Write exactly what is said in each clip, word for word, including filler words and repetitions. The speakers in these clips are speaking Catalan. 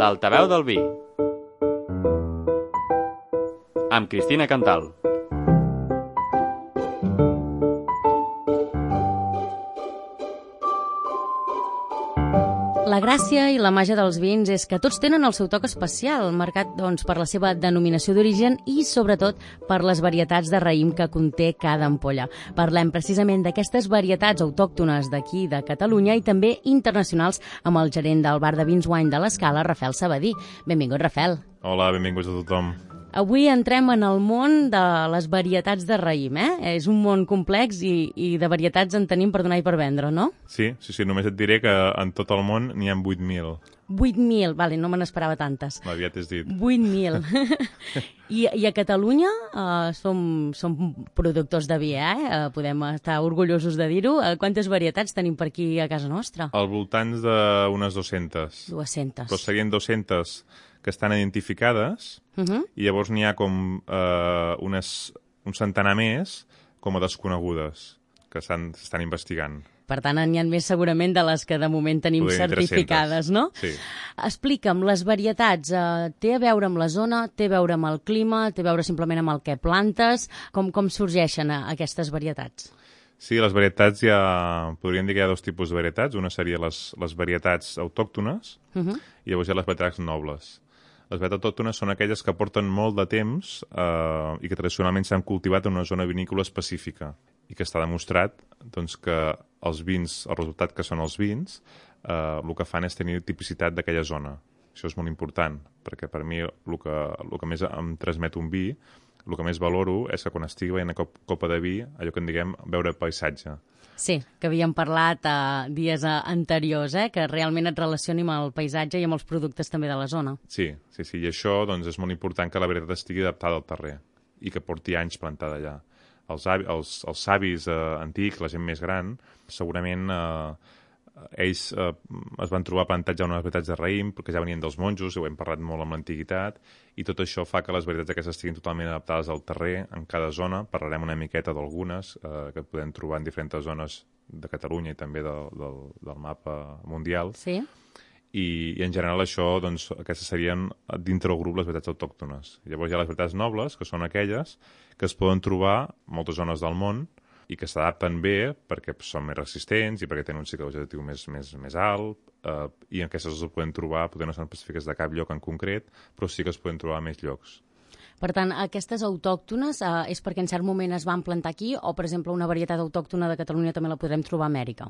L'altaveu del vi. Amb Cristina Cantal. La gràcia i la màgia dels vins és que tots tenen el seu toc especial, marcat doncs, per la seva denominació d'origen i, sobretot, per les varietats de raïm que conté cada ampolla. Parlem precisament d'aquestes varietats autòctones d'aquí, de Catalunya, i també internacionals amb el gerent del bar de vins Wine de l'Escala, Rafel Sabadí. Benvingut, Rafel. Hola, benvinguts a tothom. Avui entrem en el món de les varietats de raïm, eh? És un món complex i, i de varietats en tenim per donar i per vendre, no? Sí, sí, sí, només et diré que en tot el món n'hi ha vuit mil. vuit mil, vale, no me n'esperava tantes. Aviat és dit. vuit mil. I, I a Catalunya uh, som, som productors de vi, eh? Uh, podem estar orgullosos de dir-ho. Uh, quantes varietats tenim per aquí a casa nostra? Al voltant d'unes dues-centes. dues-centes. Però serien dues-centes que estan identificades, uh -huh. i llavors n'hi ha com eh, unes, un centenar més com a desconegudes que s'estan investigant. Per tant, n'hi ha més segurament de les que de moment tenim Podem certificades, no? Sí. Explica'm, les varietats, eh, té a veure amb la zona, té a veure amb el clima, té a veure simplement amb el que plantes? Com, com sorgeixen a, aquestes varietats? Sí, les varietats hi ha... Podríem dir que hi ha dos tipus de varietats. Una seria les, les varietats autòctones, uh -huh. i llavors hi ha les varietats nobles. Les varietats autòctones són aquelles que porten molt de temps eh, i que tradicionalment s'han cultivat en una zona vinícola específica i que està demostrat doncs, que els vins, el resultat que són els vins, eh, el que fan és tenir tipicitat d'aquella zona. Això és molt important, perquè per mi el que, el que més em transmet un vi, el que més valoro és que quan estigui veient una copa de vi, allò que en diguem veure paisatge. Sí, que havíem parlat uh, dies uh, anteriors, eh? Que realment et relacioni amb el paisatge i amb els productes també de la zona. Sí, sí, sí, i això doncs, és molt important que la varietat estigui adaptada al terrer i que porti anys plantada allà. Els, els, els savis eh, antics, la gent més gran, segurament eh, ells eh, es van trobar plantats ja unes varietats de raïm, perquè ja venien dels monjos, i ho hem parlat molt amb l'antiguitat, i tot això fa que les varietats aquestes estiguin totalment adaptades al terrer, en cada zona. Parlarem una miqueta d'algunes eh, que podem trobar en diferents zones de Catalunya i també de, del, del mapa mundial. Sí. I, i en general això, doncs, aquestes serien dintre del grup les varietats autòctones. Llavors hi ha les varietats nobles, que són aquelles que es poden trobar en moltes zones del món i que s'adapten bé perquè són més resistents i perquè tenen un cicle vegetatiu més, més, més alt, eh, i aquestes es poden trobar, potser no són específiques de cap lloc en concret, però sí que es poden trobar a més llocs. Per tant, aquestes autòctones eh, és perquè en cert moment es van plantar aquí o, per exemple, una varietat autòctona de Catalunya també la podem trobar a Amèrica?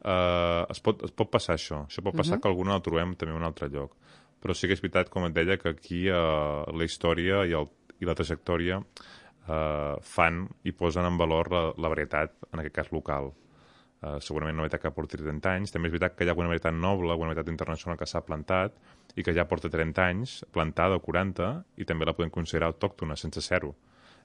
Uh, es, pot, es pot passar això. Això pot passar uh -huh. que alguna la trobem també en un altre lloc. Però sí que és veritat, com et deia, que aquí uh, la història i, el, i la trajectòria uh, fan i posen en valor la, la varietat, en aquest cas local. Uh, segurament una varietat que porti trenta anys. També és veritat que hi ha alguna varietat noble, alguna varietat internacional que s'ha plantat i que ja porta trenta anys, plantada o quaranta, i també la podem considerar autòctona, sense ser-ho.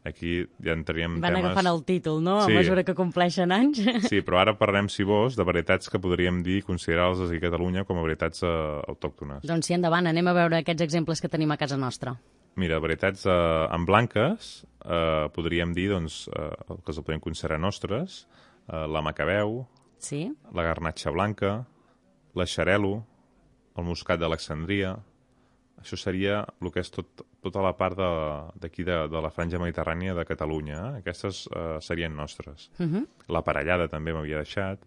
Aquí ja entraríem Van temes... agafant el títol, no?, sí. A mesura que compleixen anys. Sí, però ara parlem, si vols, de varietats que podríem dir, considerar-les aquí a Catalunya com a varietats uh, autòctones. Doncs sí, endavant, anem a veure aquests exemples que tenim a casa nostra. Mira, varietats uh, en blanques, uh, podríem dir, doncs, uh, que les podem considerar nostres, uh, la Macabeu, sí. La Garnatxa blanca, la Xarel·lo, el Muscat d'Alexandria. Això seria el que és tot, tota la part d'aquí de, de, de la franja mediterrània de Catalunya. Eh? Aquestes uh, serien nostres. Uh -huh. La Parellada també m'havia deixat.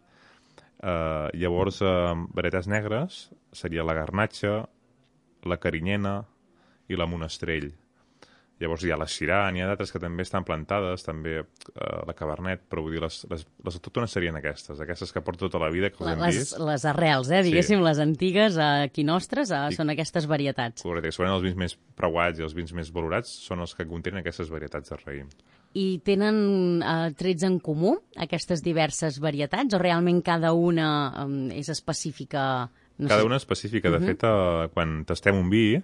Uh, llavors, uh, varietats negres seria la Garnatxa, la Carinyena i la Monestrell. Llavors hi ha la Syrah, n'hi ha d'altres que també estan plantades, també uh, la Cabernet, però vull dir, les, les, les autòctones serien aquestes, aquestes que porta tota la vida, que els hem les, vist. Les arrels, eh, diguéssim, sí. Les antigues, aquí nostres, eh, I, són aquestes varietats. Correcte, segurament els vins més preuats i els vins més valorats són els que contenen aquestes varietats de raïm. I tenen eh, trets en comú, aquestes diverses varietats, o realment cada una eh, és específica? No cada sé. una específica. De uh -huh. fet, uh, quan tastem un vi,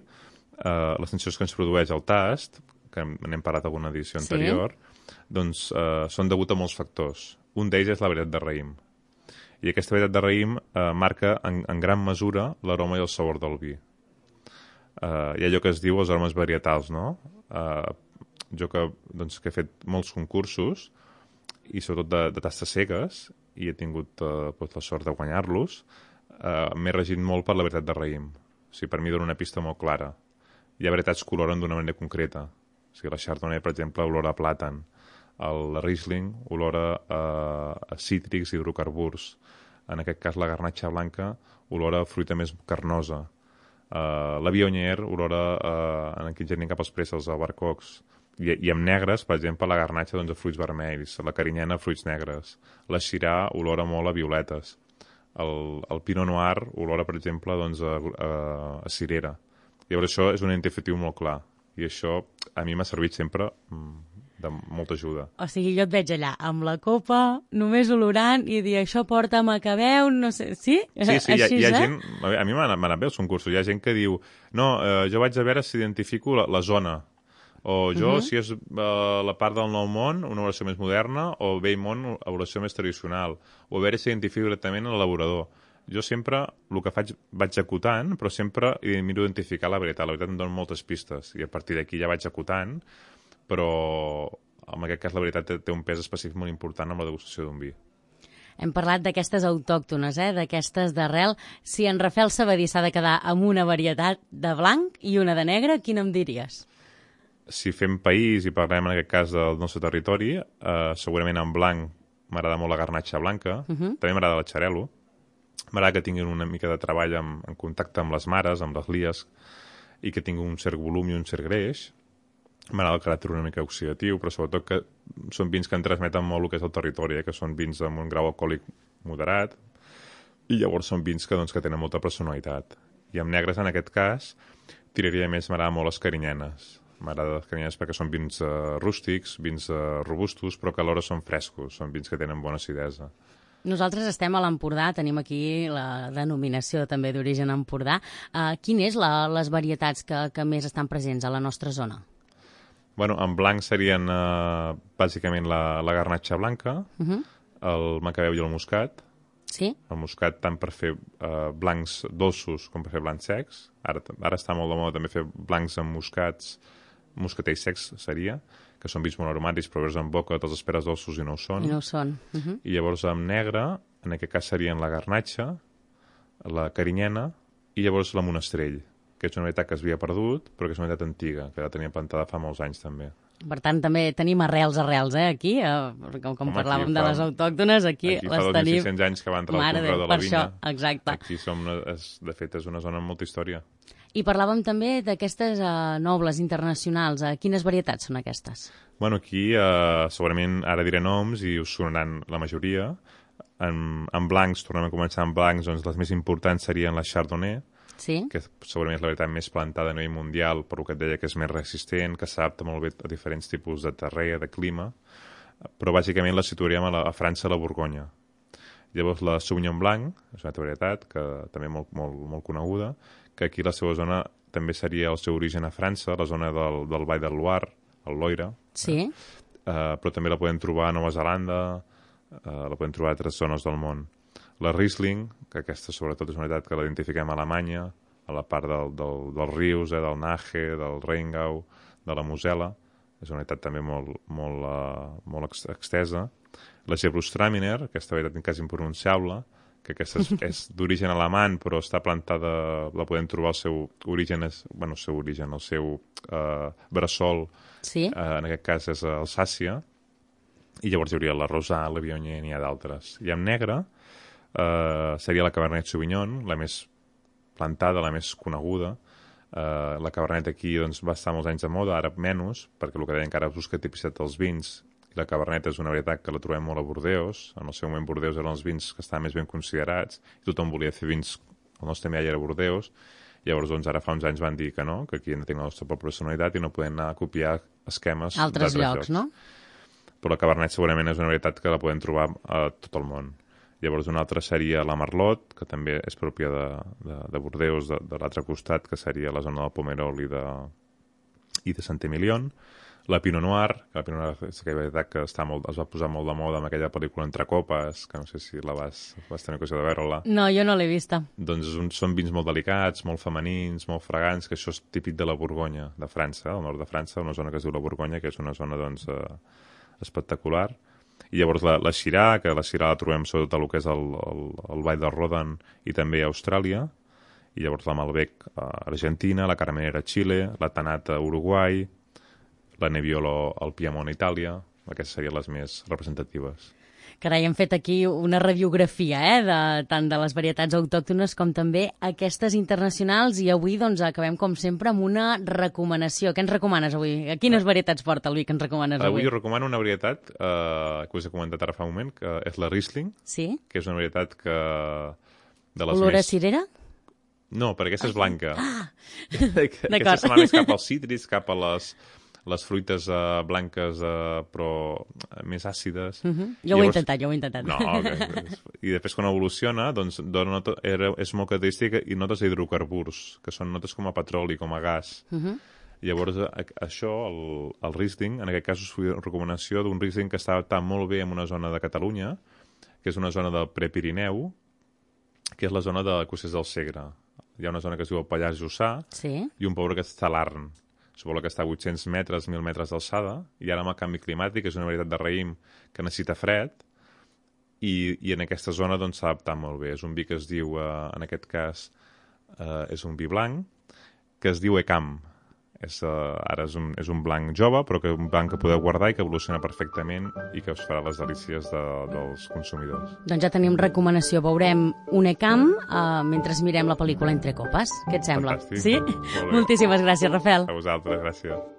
Uh, les sensacions que ens produeix el tast, que n'hem parlat en alguna edició sí. anterior, doncs uh, són degut a molts factors. Un d'ells és la varietat de raïm. I aquesta varietat de raïm uh, marca en, en gran mesura l'aroma i el sabor del vi. Uh, hi ha allò que es diu els aromes varietals, no? Uh, jo que, doncs, que he fet molts concursos, i sobretot de, de tastes cegues, i he tingut uh, doncs, la sort de guanyar-los, uh, m'he regit molt per la varietat de raïm. O sigui, per mi dona una pista molt clara. Hi ha varietats que oloren d'una manera concreta. O sigui, la Chardonnay, per exemple, olora a plàtan. El Riesling olora a, a cítrics i hidrocarburs. En aquest cas, la garnatxa blanca olora a fruita més carnosa. Uh, la Viognier olora uh, en aquí gent cap als préssecs, albercocs. I, I amb negres, per exemple, la garnatxa doncs, a fruits vermells, la carinyena a fruits negres. La Syrah olora molt a violetes. El, el Pinot Noir olora, per exemple, doncs, a, a, a cirera. Llavors això és un identificatiu molt clar. I això a mi m'ha servit sempre de molta ajuda. O sigui, jo et veig allà amb la copa, només olorant i dir això porta macabeu, no sé... Sí? Sí, sí, hi ha, Així, hi ha eh? gent... A mi m'ha anat bé els concursos. Hi ha gent que diu no, eh, jo vaig a veure si identifico la, la zona. O jo, uh -huh. si és uh, la part del Nou Món, una elaboració més moderna, o Vell Món, una elaboració més tradicional. O a veure si identifico directament l'elaborador. Jo sempre, el que faig, vaig acotant, però sempre miro identificar la veritat. La veritat em dona moltes pistes, i a partir d'aquí ja vaig acotant, però en aquest cas la veritat té, té un pes específic molt important en la degustació d'un vi. Hem parlat d'aquestes autòctones, eh? D'aquestes d'arrel. Si en Rafael Sabadí s'ha de quedar amb una varietat de blanc i una de negre, quina em diries? Si fem país i parlem en aquest cas del nostre territori, eh, segurament en blanc m'agrada molt la garnatxa blanca, uh -huh. també m'agrada la xarel·lo, m'agrada que tinguin una mica de treball en, en contacte amb les mares, amb les lies, i que tingui un cert volum i un cert greix. M'agrada el caràcter una mica oxidatiu, però sobretot que són vins que en transmeten molt el que és el territori, eh? Que són vins amb un grau alcohòlic moderat, i llavors són vins que, doncs, que tenen molta personalitat. I amb negres, en aquest cas, tiraria més, m'agrada molt les carinyenes. M'agrada les carinyenes perquè són vins uh, rústics, vins uh, robustos, però que alhora són frescos, són vins que tenen bona acidesa. Nosaltres estem a l'Empordà, tenim aquí la denominació també d'origen Empordà. Uh, quines són les varietats que, que més estan presents a la nostra zona? Bueno, en blanc serien uh, bàsicament la, la garnatxa blanca, uh -huh. el macabeu i el muscat. Sí? El muscat tant per fer uh, blancs dolços com per fer blancs secs. Ara, ara està molt de moda també fer blancs amb muscats, muscatells secs seria, que són vins molt aromàtics, però veus en boca, te'ls esperes dolços i no ho són. I no ho són. Uh -huh. I llavors amb negre, en aquest cas serien la garnatxa, la carinyena i llavors la monestrell, que és una varietat que es havia perdut, però que és una varietat antiga, que la tenia plantada fa molts anys també. Per tant, també tenim arrels, arrels, eh, aquí, eh, com, com Home, parlàvem de les autòctones, aquí, aquí les tenim... Aquí fa dos mil sis-cents anys que va entrar el conreu de la vinya. Això, exacte. Aquí som, és, de fet, és una zona amb molta història. I parlàvem també d'aquestes uh, nobles internacionals. Uh, quines varietats són aquestes? Bueno, aquí uh, segurament ara diré noms i us sonaran la majoria. En, en blancs, tornem a començar en blancs, doncs les més importants serien la Chardonnay, sí? Que segurament és la varietat més plantada a nivell mundial, per el que et deia que és més resistent, que s'adapta molt bé a diferents tipus de terrer, de clima, però bàsicament la situaríem a, la, a França, a la Borgonya. Llavors la Sauvignon Blanc, és una altra varietat, que també molt, molt, molt coneguda, que aquí la seva zona també seria el seu origen a França, la zona del, del Vall del Loire, el Loira. Sí. Eh? Uh, però també la podem trobar a Nova Zelanda, uh, la podem trobar a altres zones del món. La Riesling, que aquesta sobretot és una varietat que la identifiquem a Alemanya, a la part del, del, dels rius, eh, del Nahe, del Rheingau, de la Mosel·la, és una varietat també molt, molt, uh, molt extesa. La Gewürztraminer, aquesta varietat quasi impronunciable, que aquesta és, és d'origen alemany, però està plantada, la podem trobar el seu origen, és, bueno, el seu origen, el seu uh, bressol, sí? uh, en aquest cas és Alsàcia, i llavors hi hauria la Rosà, la Viognier, n'hi ha d'altres. I amb negre uh, seria la Cabernet Sauvignon, la més plantada, la més coneguda. Uh, la Cabernet aquí doncs, va estar molts anys de moda, ara menys, perquè el que deia encara busca tipicitat dels vins. La Cabernet és una varietat que la trobem molt a Bordeus. En el seu moment Bordeus eren els vins que estaven més ben considerats i tothom volia fer vins. El nostre miall era Bordeus. Llavors, doncs, ara fa uns anys van dir que no, que aquí hem de tenir la nostra propia personalitat i no podem anar a copiar esquemes altres llocs, llocs, no? Però la Cabernet segurament és una varietat que la podem trobar a tot el món. Llavors, una altra seria la Merlot, que també és pròpia de, de, de Bordeus, de, de l'altre costat, que seria la zona del Pomerol i de, i de Sant-Emilion. La Pinot Noir, que la Pinot Noir és aquella varietat que està molt, es va posar molt de moda amb aquella pel·lícula Entre copes, que no sé si la vas, vas tenir ocasió de veure-la. No, jo no l'he vista. Doncs un, són vins molt delicats, molt femenins, molt fragants, que això és típic de la Borgonya, de França, al nord de França, una zona que es diu la Borgonya, que és una zona doncs, eh, espectacular. I llavors la, la Syrah, que la Syrah la trobem sobretot a el que és el, el, el Vall del Rodan i també a Austràlia. i llavors la Malbec a Argentina, la Carmenera a Xile, la Tanat a Uruguai, la Nebbiolo al Piemont a Itàlia. Aquestes serien les més representatives. Carai, hem fet aquí una radiografia, eh, de, tant de les varietats autòctones com també aquestes internacionals, i avui doncs acabem com sempre amb una recomanació. Què ens recomanes avui? Quines varietats porta el vi que ens recomanes avui? Avui us recomano una varietat eh, que us he comentat ara fa un moment, que és la Riesling, sí? que és una varietat que... de les Olor a més... cirera? No, perquè aquesta és blanca. Ah, aquesta d'acord. se m'ha més cap als cítrics, cap a les... les fruites uh, blanques, uh, però més àcides. Uh -huh. Jo ho he intentat, jo ho he intentat. No, okay. I després quan evoluciona, doncs, dona nota, era, és molt característica i notes d'hidrocarburs, que són notes com a petroli, com a gas. Uh -huh. Llavors, això, el, el Riesling, en aquest cas us faig una recomanació d'un Riesling que està adaptat molt bé en una zona de Catalunya, que és una zona del Prepirineu, que és la zona de Cossers del Segre. Hi ha una zona que es diu el Pallars Jussà, sí, i un poble que està a l'Arn. És un poble que està a vuit-cents metres, mil metres d'alçada, i ara amb el canvi climàtic és una varietat de raïm que necessita fred, i, i en aquesta zona doncs, s'ha adaptat molt bé. És un vi que es diu, eh, en aquest cas, eh, és un vi blanc, que es diu Ecam. És, uh, ara és un, és un blanc jove, però que un blanc que podeu guardar i que evoluciona perfectament i que us farà les delícies de, dels consumidors. Doncs ja tenim recomanació. Veurem un Ecam uh, mentre mirem la pel·lícula Entre copes. Què et sembla? Fantàstic. Sí? Moltíssimes gràcies, Rafael. A vosaltres, gràcies.